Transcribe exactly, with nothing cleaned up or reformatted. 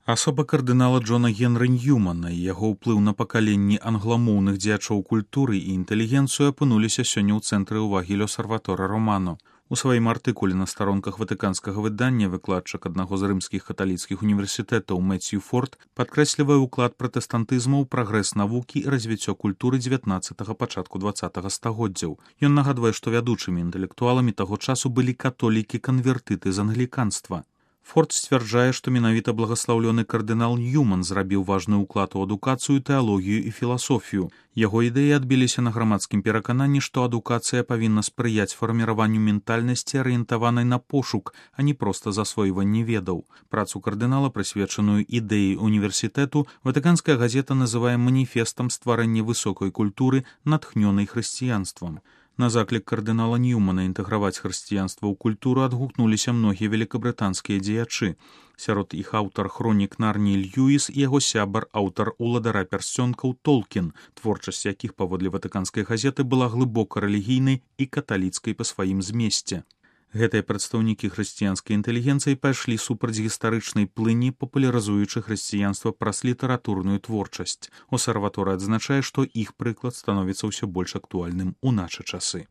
Асоба кардынала Джона Генры Ньюмана і яго ўплыў на пакаленні англамоўных дзеячоў культуры і інтэлігенцыю апынуліся сёння ў цэнтры ўвагі Л'Осарваторе Романо. У сваім артыкуле на старонках ватыканскага выдання выкладчык аднаго з рымскіх каталіцкіх універсітэтаў Мэцью Форд падкрэслівае ўклад пратэстантызму ў прагрэс навукі і развіццё культуры дзевятнаццатага пачатку дваццатага стагоддзяў. Ён нагадвае, што вядучымі інтэлектуаламі таго часу былі католікі-канвертыты з англіканства. Форд сцвярджае, што менавіта благаслаўлёны кардынал Ньюман зрабіў важны ўклад у адукацыю, тэалогію і філасофію. Яго ідэі адбіліся на грамадскім перакананні, што адукацыя павінна спрыяць фарміраванню ментальнасці, арыентаванай на пошук, а не проста засвойванне ведаў. Працу кардынала, прысвечаную ідэі універсітэту, ватыканская газета называе маніфестам стварэння высокай культуры, натхнёнай хрысціянствам. На заклік кардынала Ньюмана інтэграваць хрысціянства ў культуру адгукнуліся многія великабрытанскія дзеячы. Сярод іх аўтар хронік Нарніі Льюіс і яго сябар, аўтар уладара пярсцёнкаў Толкін, творчасць якіх паводле ватыканскай газеты была глыбока рэлігійнай і каталіцкай па сваім змесце. Гэтыя прадстаўнікі хрысціянскай інтэлігенцыі пайшлі супраць гістарычнай плыні, папулярызуючы хрысціянства праз літаратурную творчасць. Осарваторы адзначае, што іх прыклад становіцца ўсё больш актуальным у нашы часы.